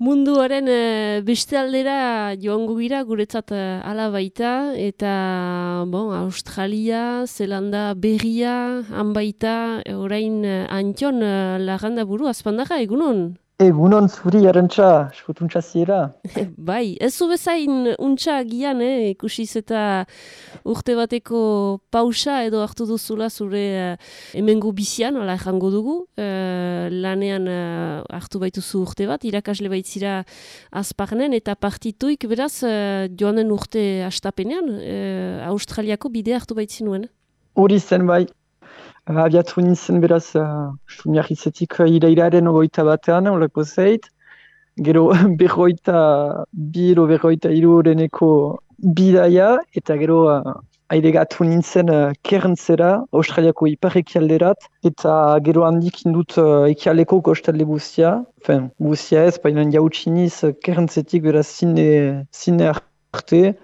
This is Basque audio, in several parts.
Munduaren beste aldera joango gira, guretzat hala baita, eta Australia, Zelanda berria, han baita, orain Antion laganda buru, azpandaga, egunon? Egunon zuri arantxa, eskutuntza ziera. Bai, ez zu bezain untxa agian, ikusiz eta urte bateko pausa edo hartu duzula zure hemengo bizian, hala jango dugu, lanean hartu baituzu urte bat, irakasle baitzira azparnen, eta partituik beraz joan den urte astapenean, Australiako bide hartu baitzinuen. Hori zen bai, abiatu nintzen beraz, sumiarrizetik irailaren ogoita batean, olako zeit. Gero berroita hiru horeneko bidaia, eta gero ailegatu nintzen Cairnsera, Australiako ipar-ekialderat, eta gero handik indut ekialdeko kostalde guztia, guztia ez, baina jautxiniz Cairnsetik beraz zine arte,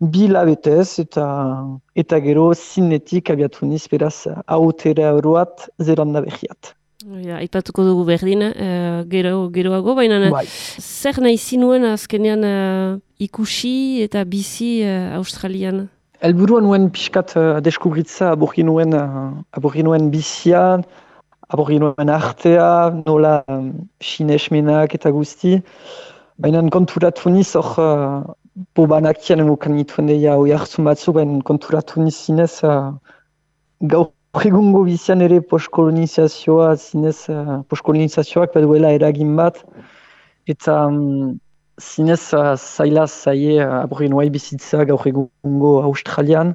bi labetez eta gero zinetik abiatu niz beraz ahotera oroat Zelanda berriat. Ja, aipatuko dugu berdin, geroago, baina Bai. zer nahi zinuen azkenean ikusi eta bizi Australian? Helburua nuen pixkat deskubritza aborginuen bizian, aborginuen artea, nola sinesmenak eta guzti. Baina konturatu niz hor banakian emukan nituen deia hoi hartzun batzu, baina konturatu niz zinez gaur egungo bizian ere postkolonizazioa zinez postkolonizazioak baduela eragin bat, eta zinez zaie aborginuai bizitza gaur egungo Australian.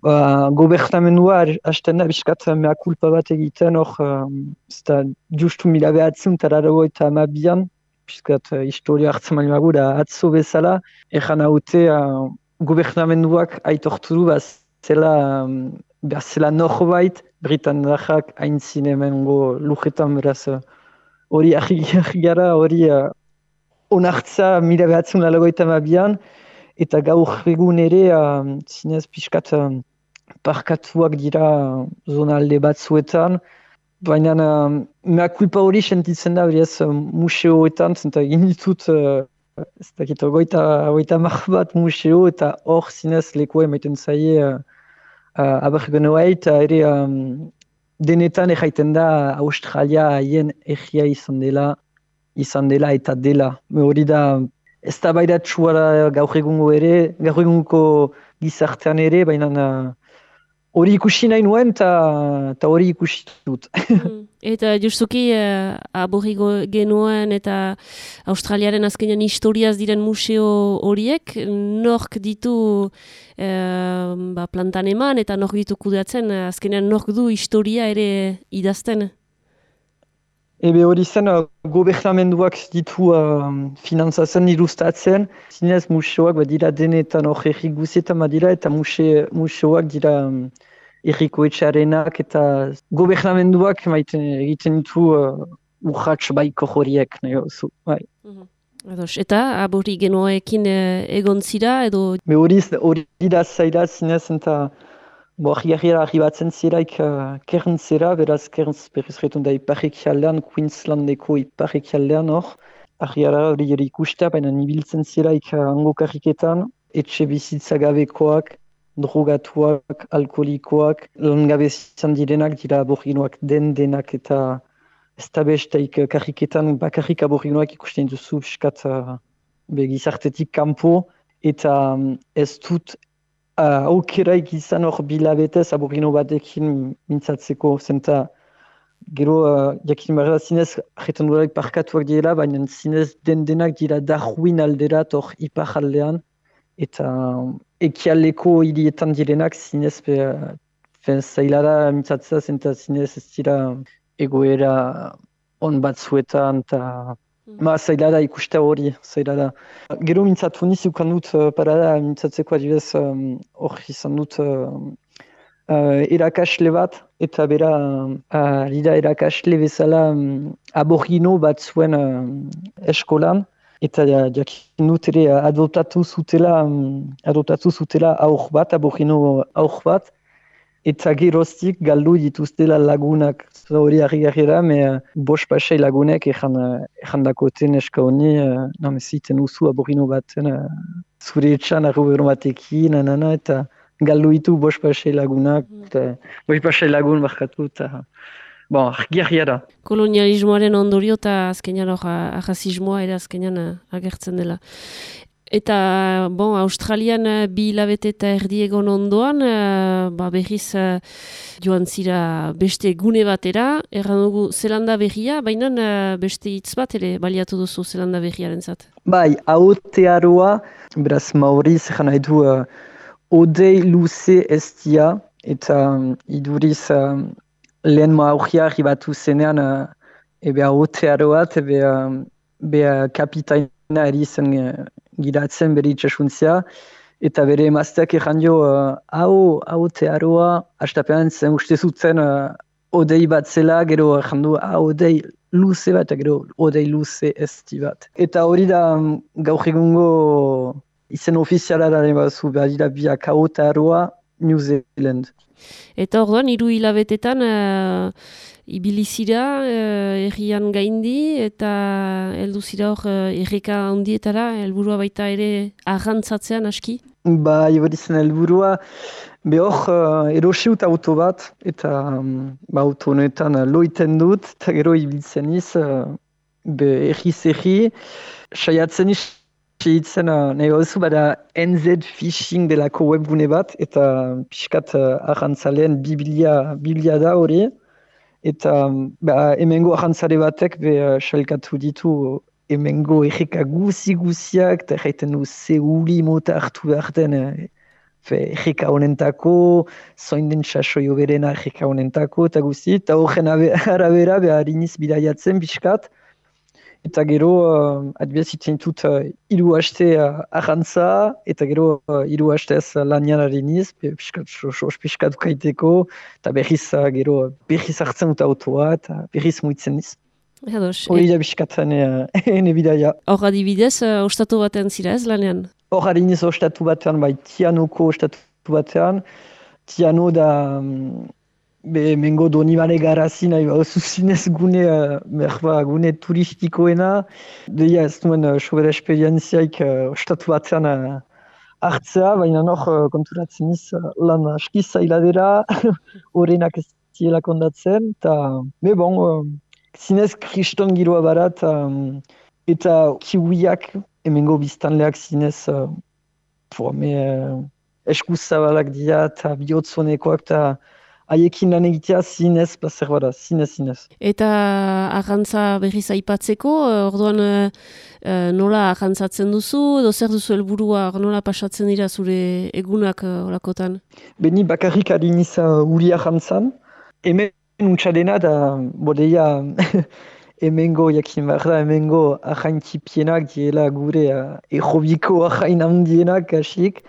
Gobernamendua hasten da biskat mea kulpa bat egiten hor, justu 1982an, piskat historia hartzen mali magu da atzo bezala, egan haute gobernamenduak aitortu du zela norbait, Britanniak hain zinemengo lujetan beraz hori argi gara, hori onartza 1982an, eta gaur egun ere zinez piskat parkatuak dira zonalde batzuetan, baina mea kulpa hori sentitzen da berez museoetan, zenta egin ditut ez dakit goita bat museo, eta hor zinez lekua emaiten zaie abergenoa eta ere denetan erraiten da Australia haien egia izan dela eta dela. Hori da ez da baidatsua da gaur egungo gizartean ere, baina hori ikusi nahi nuen eta hori ikusi dut. Eta justuki genuen eta Australiaren azkenean historiaz diren museo horiek, nork ditu plantan eman eta nork ditu kudeatzen, azkenean nork du historia ere idazten? Ebe hori zen, gobernamenduak ditu finantzatzen, ilustratzen, zinez museoak badira denetan hor erri guzietan badira, eta museoak dira erriko etxarenak, eta gobernamenduak egiten ditu urratx baiko horiek, nahi hauzu, bai. Eta aborigenoekin egon zira, edo? Hori da zaila zinez, eta argi batzen ziraik Cairnsera, beraz Cairns berriz retun da ipar-ekialdean, Queenslandeko ipar-ekialdean hor. Argiara hori ikustea, baina nibiltzen ziraik hango karriketan, etxe bizitza gabekoak, drogatuak, alkoholikoak, langabe izan direnak dira aboriginoak denak, eta ez da besteik karriketan bakarrik aboriginoak ikusten duzu piskat gizartetik kanpo, eta ez dut aukeraik izan hor bilabetez aborigino batekin mintzatzeko, zenta gero jakin barra zinez jetan duraik parkatuak direla, baina zinez denak dira Darwin alderat hor ipar aldean, eta ekialdeko hirietan direnak zinez zailara mintzatzea, zenta zinez ez dira egoera on batzuetan, eta zaila da ikuste hori, zaila da. Gero mintzatu niz ukan dut parada mintzatzeko adibidez hor izan dut erakasle bat, eta bera lida erakasle bezala aborigino bat zuen eskolan, eta jakin dut ere adoptatu zutela aur bat, aborigino aur bat, eta geroztik galdu dituztela lagunak. Hori harri da, bost pasei lagunek ezan dakoten eska honi, ziten usu aborino baten, zure etxan arrobero batekin, eta galdu ditu bost pasei lagunak, bost pasei lagun barkatu, eta argi da. Kolonialismoaren ondorio eta azkenean ahazismoa ere azkenean agertzen dela. Eta, Australian 2 hilabete eta erdi egon ondoan, berriz joan zira beste gune batera, erran dugu Zelanda Berria, baina beste hitz bat ere baliatu duzu Zelanda Berriaren zat. Bai, Aotearoa, beraz Mauriz, egan nahi du odei luze estia, eta iduriz lehen maurria arribatu zenean, Aotearoa, kapitaina erizen giratzen bere itxasuntzia, eta bere emazteak egan dio, Aotearoa, hastapean zen uste zuten odei bat zela, gero egan du, odei luze bat, gero odei luze esti bat. Eta hori da gaur egungo izen ofiziala da bazu, behar dira biak Aotearoa, New Zealand. Eta orduan, 3 hilabetetan ibilizira errian gaindi eta heldu zira hor erreka handietara, helburua baita ere arrantzatzean aski? Bai, hori zen helburua, hor erosiut auto bat, eta auto honetan loiten dut, eta gero ibiltzen iz, erri, saiatzen iz, nahi gauzu, bada NZ Fishing delako webgune bat, eta pixkat arrantzaleen biblia da hori, eta hemengo arrantzale batek salkatu ditu hemengo erreka guziak, eta erraiten du zeuli mota hartu behar den erreka honentako, zoin den sasoio berena erreka honentako, eta guzi, eta horren arabera behar iniz bidaiatzen pixkat, eta gero, adibidez itzen dut 3 haste arrantza, eta gero 3 hastez lanian ariniz, piskat ukaiteko, eta berriz hartzen dut autoa, eta berriz muitzen niz. Hori da piskatan ene bidaia. Hor adibidez, ostatu batean zira ez lanean? Hor adiniz ostatu batean, Tianoko ostatu batean. Tiano da... Mengo Donibane garazi nahi zinez gune turistikoena. Deia ez duen sobera esperientziaik ostatu batean hartzea, baina hor konturatzen iz lan aski zailadera, horrenak ez ziela kondatzen. Zinez kriston giroa barat, eta kiwiak emengo biztanleak zinez eskuzabalak dira eta bihotzonekoak eta haiekin lan egitea zinez, plazer bada, zinez. Eta arrantza berriz aipatzeko, orduan nola arrantzatzen duzu, edo zer duzu helburua, nola pasatzen dira zure egunak olakotan? Beni bakarrik adiniz uri arrantzan, hemen untxadena da, bodeia hemengo jakin behar da, hemengo arraintipienak diela gure errobiko arrain handienak kasik,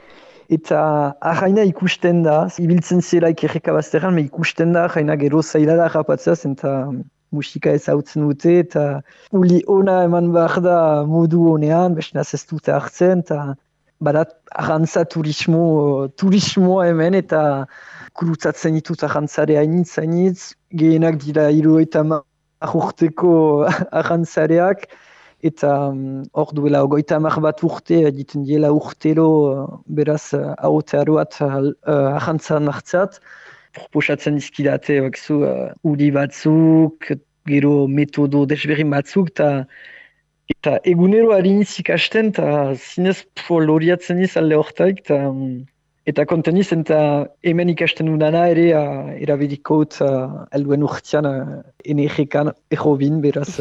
eta arraina ikusten da, ibiltzen zelaik erreka bazterran, ikusten da arraina gero zaila da rapatzaz, eta musika ezautzen dute, eta uli ona eman behar da modu honean, besnaz ez dute hartzen, eta badat arrantza turismoa hemen, eta kurutzatzen ditut arrantzare hainitz, gehienak dira 50 urteko arrantzareak, eta hor duela 50 bat urte, egiten diela urtero, beraz Aotearoat arrantzan hartzat, proposatzen dizkidate uri batzuk, gero metodo desberin batzuk, eta egunero hariniz ikasten, eta zinez loriatzen iz alde hortaik, eta konten iz, eta hemen ikasten dudana ere erabilikot helduen urtean energekan errobin, beraz.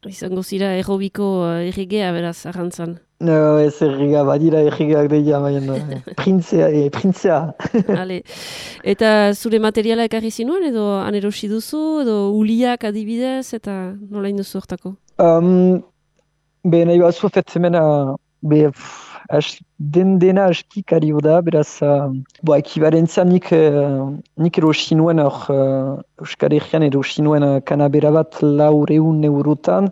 Izango zira errobiko erregea, beraz, arrantzan. No, ez errega, badira erregeak deia, baina printzea. Eta zure materiala ekarri zinuen, edo anerosi duzu, edo uliak adibidez, eta nola induzu hortako? Nahi bazu fetzemena, dena askik ari da, beraz, ekibarentzia nik erosi nuen, Euskal Herrian erosi nuen kanabera bat 400 eurotan,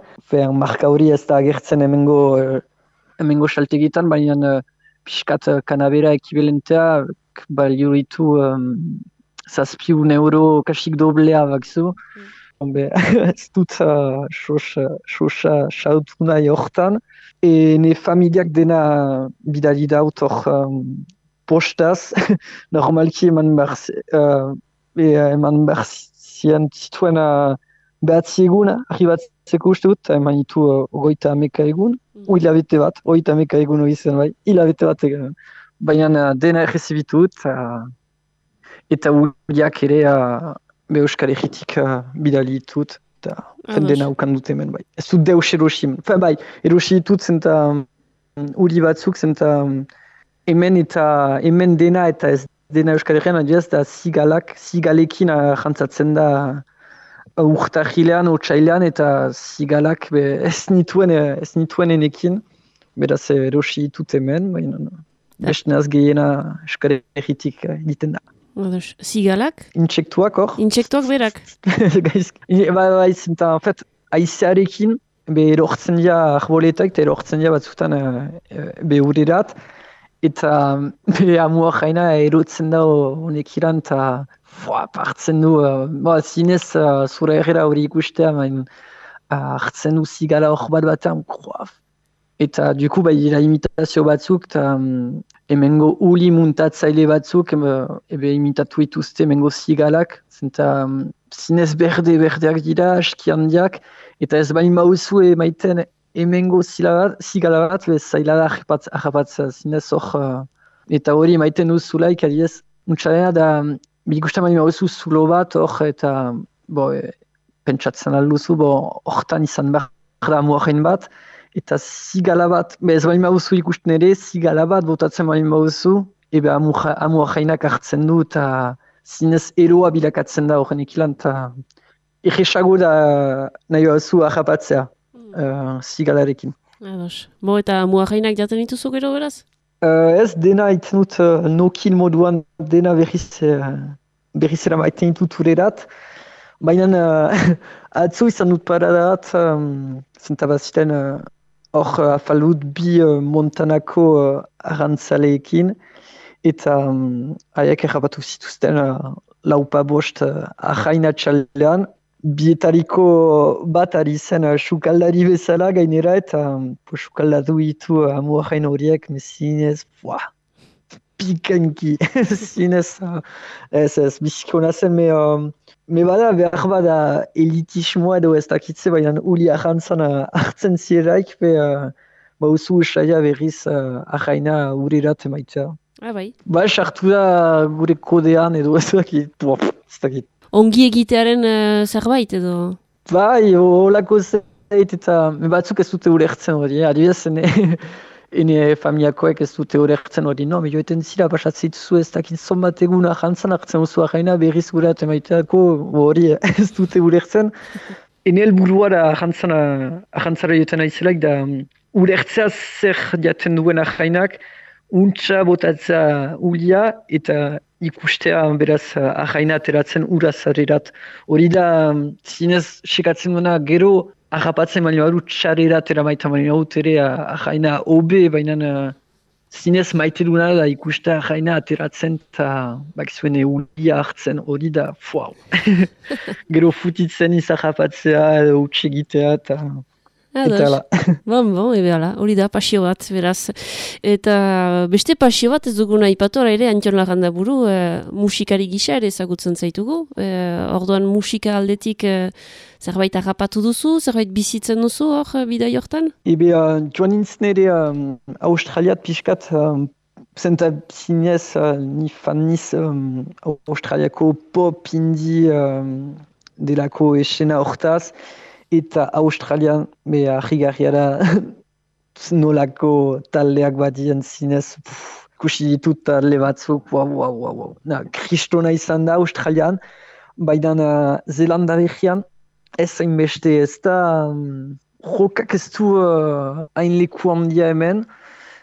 marka hori ez da agertzen hemengo saltegitan, baina pixkat kanabera ekibalentea balio ditu €7 kasik doblea bakzu. Ez dut sosa sautu nahi hortan. Ne familiak dena bidali daut hor postaz. Normalki eman behar zian zituen behatzi egun arribatzeko uste dut, eman ditu 30 egun. Hilabete bat, 30 egun hori zen bai. Hilabete bat, baina dena errezibitu dut. Eta uliak ere Euskal Herritik bidali ditut. Eta dena ukan dut hemen bai. Ez dut deus erosi. Bai, erosi ditut zenta uli batzuk zenta hemen dena eta ez dena Euskal Herrian adiaz da zigalekin jantzatzen da urtarrilean, otsailean eta zigalak ez nituen enekin. Beraz erosi ditut hemen, baina bestenaz gehiena Euskal Herritik egiten da. Zigalak? Intsektuak hor. Intsektuak berak? Bai, zenta, en fait, aizearekin, erortzen dira arboletak eta erortzen dira batzutan urerat. Eta amua jaina erotzen da honekiran eta partzen du. Zinez, zura errera hori ikustea, hartzen du zigala hor batean. Eta duku imitazio batzuk eta hemengo uli muntatzaile batzuk imitatu dituzte hemengo zigalak. Zenta zinez berdeak dira, aski handiak, eta ez bain bauzu emaiten hemengo zigala bat, zaila da harrapatzea zinez hor. Eta hori emaiten duzulaik, adiez, muntxalena da, ikusten bain bauzu zulo bat hor, eta pentsatzen alduzu, hortan izan behar da muajen bat, eta zigala bat, ez bain bauzu ikusten ere, zigala bat botatzen bain bauzu, amua jainak hartzen du, eta zinez eroa bilakatzen da horren ikilan, eta erresago da nahi bauzu harrapatzea zigalarekin. Eta amua jainak jaten dituzu gero beraz? Ez dena iten dut nokin moduan dena berrizera maiten ditut urerat, baina atzo izan dut paradat, zenta baziten hor afalut bi Montanako arrantzaleekin, eta haiek errapatu zituzten laupa bost ahaina txaldean, bietariko bat ari zen sukaldari bezala gainera, eta sukaldatu ditu amuahain horiek, zinez, pikanki, zinez, ez bizikona zen, me bada behar bada elitismoa edo ez dakitze, baina uli ahantzan hartzen zieraik, usu usaia berriz ahaina urirat emaitea. Bai. Sartu da gure kodean edo ez dakit. Ongi egitearen zerbait edo? Bai, holako zeit eta batzuk ez dute ulertzen hori, adibidez, ene familiakoek ez dute ulertzen hori, no, joeten zira, pasatzen dituzu ez dakit zonbat egun ahantzan hartzen duzu ahaina berriz gurat emaiteako hori ez dute ulertzen. Ene helburua da ahantzara joeten aizelaik da ulertzea zer jaten duen ahainak, untxa botatzea ulia eta ikustea beraz ahaina ateratzen urazarirat. Hori da zinez sekatzen duena gero harrapatzen baino baru txarerat eramaita baino haut ere ahaina obe, baina zinez maite duena da ikustea ahaina ateratzen eta bakizuen ulia hartzen hori da gero futitzen izarrapatzea edo utxegitea eta hala. Hori da, pasio bat, beraz. Eta beste pasio bat ez duguna ipatora ere, Antion Larrandaburu, musikari gisa ere ezagutzen zaitugu. Orduan musika aldetik zerbait harrapatu duzu, zerbait bizitzen duzu hor bidai hortan? Joan nintzen ere Australiat pixkat, zenta zinez ni fan niz Australiako pop indie delako esena hortaz, eta Australian harrigarria da nolako taldeak badien zinez, ikusi ditut talde batzuk, kristona izan da Australian, baina Zelanda behian, ez hainbeste ez da, jokak ez du hain leku handia hemen,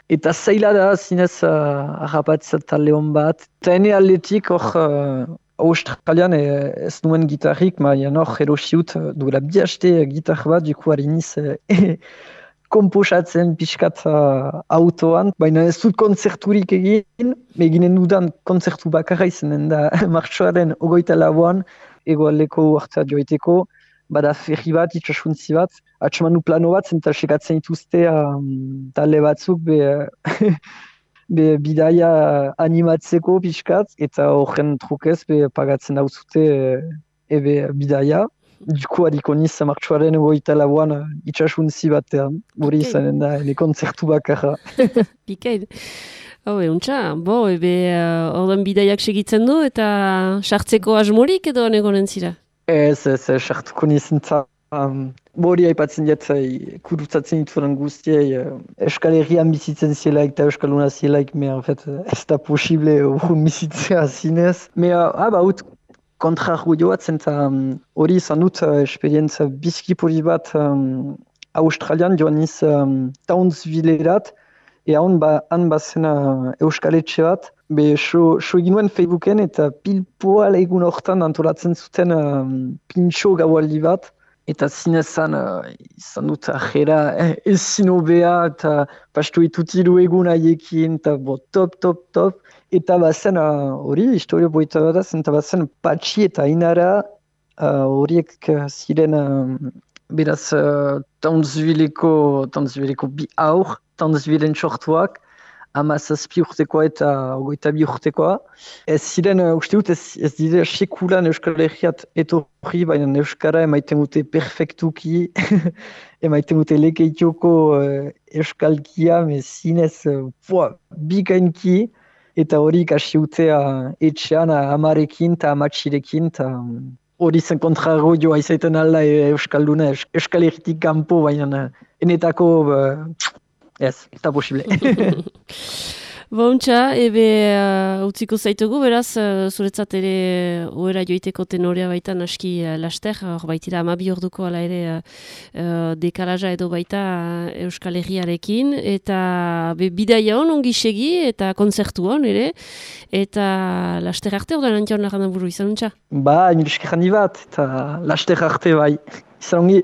eta zaila da zinez harrapatzea talde hon bat. Eta ene aldetik hor Australian ez nuen gitarrik, baina hor erosiut duela bihaste gitar bat, duku hariniz komposatzen pixkat autoan, baina ez dut kontzerturik eginen dudan kontzertu bakarra izanen da martxoaren 24an, egoaldeko hartzat joiteko, bada ferri bat, itxasuntzi bat, atxamanu plano bat, zenta sekatzen dituzte talde batzuk bidaia animatzeko pixkat, eta horren trukez pagatzen dauzute bidaia. Duko hariko niz martxoaren 24an itxasuntzi batean, hori izanen da, kontzertu bakarra. Bikain. Untxa, ordan bidaiak segitzen du eta sartzeko asmorik edo negonen zira? Ez, sartuko nizinta. Hori haipatzen diat, kurutzatzen dituaren guztiei, Euskal Herrian bizitzen zielaik eta Euskaluna zielaik, ez da posible urun bizitzea zinez. Ut kontrargu joatzen eta hori izan dut esperientzia bizki poli bat Australian joan niz Townsvillerat, han bazen Euskaletxe bat, so egin nuen Facebooken eta pilpoal egun hortan antolatzen zuten pintxo gaualdi bat, eta zinezan izan dut ajera ezin hobea eta pastu itutilu egun haiekin, eta top. Eta bazen hori, historio boita bat da, eta bazen Patxi eta Ainara horiek ziren beraz Townsvilleko bi aur, Townsvilleen sortuak, 17 urtekoa eta 22 urtekoa. Ez ziren, uste dut, ez dira sekulan Euskal Herriat etorri, baina Euskara emaiten dute perfektuki, emaiten dute lekeitioko Euskalkia, zinez bikainki, eta hori kasi utea etxean amarekin eta amatxirekin, eta hori zen kontrarro joa izaiten alda Euskalduna, Euskal Herritik kanpo, baina enetako ez da posible. Untxa, utziko zaitugu, beraz, zuretzat ere oera joiteko tenorea baita naski laster, hor baitira 12 orduko ala ere dekalaja edo baita Euskal Herriarekin, eta bidaia hon ongi segi eta kontzertu hon ere, eta laster arte orduan antion lagan buru izan untxa? Nire eskerrandi bat, eta laster arte bai, izan ongi.